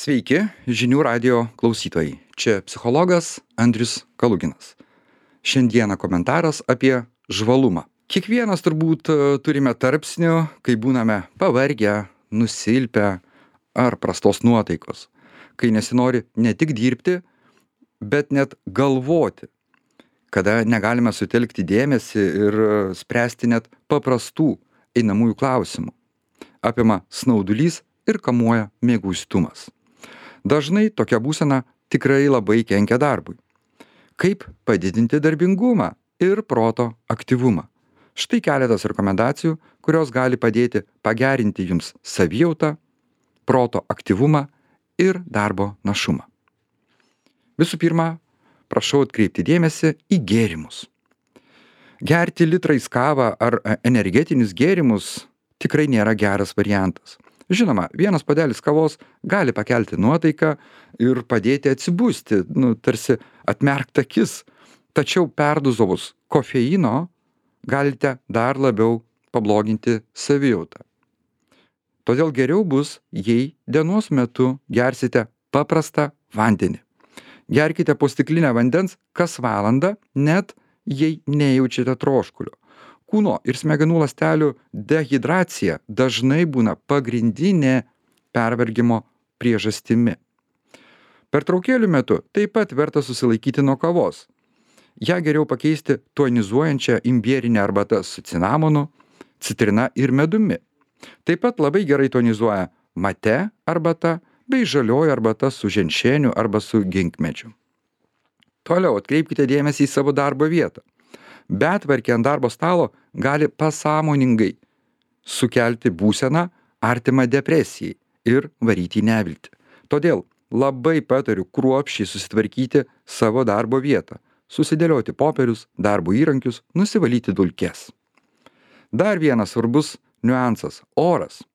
Sveiki, žinių radio klausytojai. Čia psichologas Andrius Kaluginas. Šiandieną komentaras apie žvalumą. Kiekvienas turbūt turime tarpsnių, kai būname pavargę, nusilpę ar prastos nuotaikos. Kai nesinori ne tik dirbti, bet net galvoti. Kada negalime sutelkti dėmesį ir spręsti net paprastų einamųjų klausimų. Apima snaudulys ir kamuoja mieguistumas. Dažnai tokia būsena tikrai labai kenkia darbui. Kaip padidinti darbingumą ir proto aktyvumą? Štai keletas rekomendacijų, kurios gali padėti pagerinti jums savijautą, proto aktyvumą ir darbo našumą. Visų pirma, prašau atkreipti dėmesį į gėrimus. Gerti litrais kavą ar energetinius gėrimus tikrai nėra geras variantas. Žinoma, vienas puodelis kavos gali pakelti nuotaiką ir padėti atsibusti, tarsi atmerkt akis, tačiau perdozavus kofeino galite dar labiau pabloginti savijautą. Todėl geriau bus, jei dienos metu gersite paprastą vandenį. Gerkite po stiklinę vandens kas valandą, net jei nejaučiate troškulio. Kūno ir smegenų ląstelių dehidracija dažnai būna pagrindinė pervargimo priežastimi. Pertraukėlių metu taip pat verta susilaikyti nuo kavos. Ją geriau pakeisti tonizuojančią imbierinę arbatą su cinamonu, citrina ir medumi. Taip pat labai gerai tonizuoja mate arbata bei žalioji arbata su ženšeniu arba su ginkmedžiu. Toliau atkreipkite dėmesį į savo darbo vietą. Betvarkė ant darbo stalo gali pasąmoningai sukelti būseną artimą depresijai ir varyti į neviltį. Todėl labai patariu kruopščiai susitvarkyti savo darbo vietą, susidėlioti popierius, darbo įrankius, nusivalyti dulkes. Dar vienas svarbus niuansas – oras.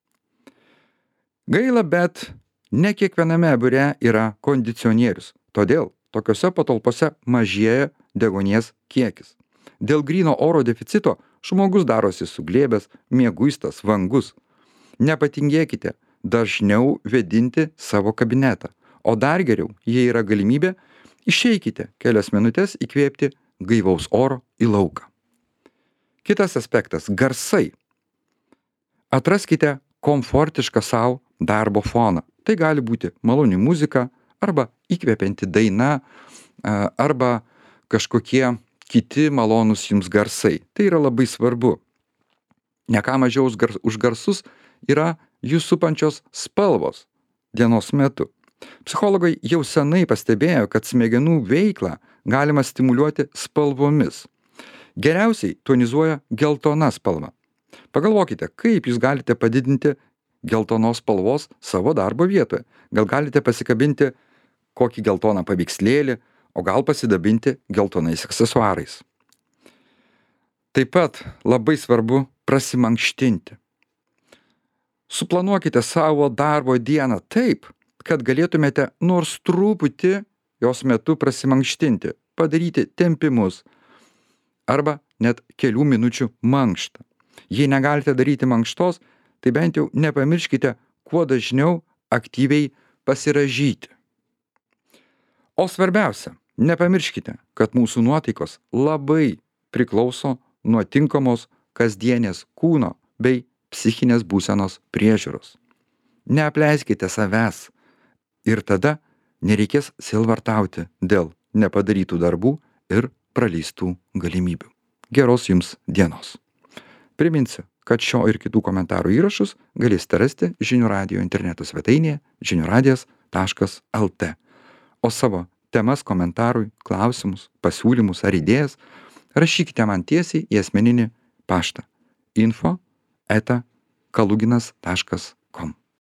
Gaila, bet ne kiekviename biure yra kondicionierius, todėl tokiose patalpose mažėja deguonies kiekis. Dėl gryno oro deficito žmogus darosi suglėbęs, mieguistas, vangus. Nepatingėkite dažniau vėdinti savo kabinetą, o dar geriau, jei yra galimybė, išeikite kelias minutės įkvėpti gaivaus oro į lauką. Kitas aspektas – garsai. Atraskite komfortišką savo darbo foną. Tai gali būti maloni muzika arba įkvepianti daina arba kažkokie kiti malonūs jums garsai. Tai yra labai svarbu. Ne ką mažiau už garsus yra jūs supančios spalvos dienos metu. Psichologai jau senai pastebėjo, kad smegenų veiklą galima stimuliuoti spalvomis. Geriausiai tonizuoja geltona spalva. Pagalvokite, kaip jūs galite padidinti geltonos spalvos savo darbo vietoje. Gal galite pasikabinti kokį geltoną paveikslėlį, o gal pasidabinti geltonais aksesuarais. Taip pat labai svarbu prasimankštinti. Suplanuokite savo darbo dieną taip, kad galėtumėte nors truputį jos metu prasimankštinti, padaryti tempimus arba net kelių minučių mankštą. Jei negalite daryti mankštos, tai bent jau nepamirškite kuo dažniau aktyviai pasirąžyti. O svarbiausia, nepamirškite, kad mūsų nuotaikos labai priklauso nuo tinkamos kasdienės kūno bei psichinės būsenos priežiūros. Neapleiskite savęs ir tada nereikės sielvartauti dėl nepadarytų darbų ir praleistų galimybių. Geros jums dienos. Priminsiu, kad šio ir kitų komentarų įrašus galėsite rasti Žinių radijo interneto svetainėje žiniųradijas.lt. O savo temas komentarui, klausimus, pasiūlymus ar idėjas rašykite man tiesiai į asmeninį paštą info@kaluginas.com.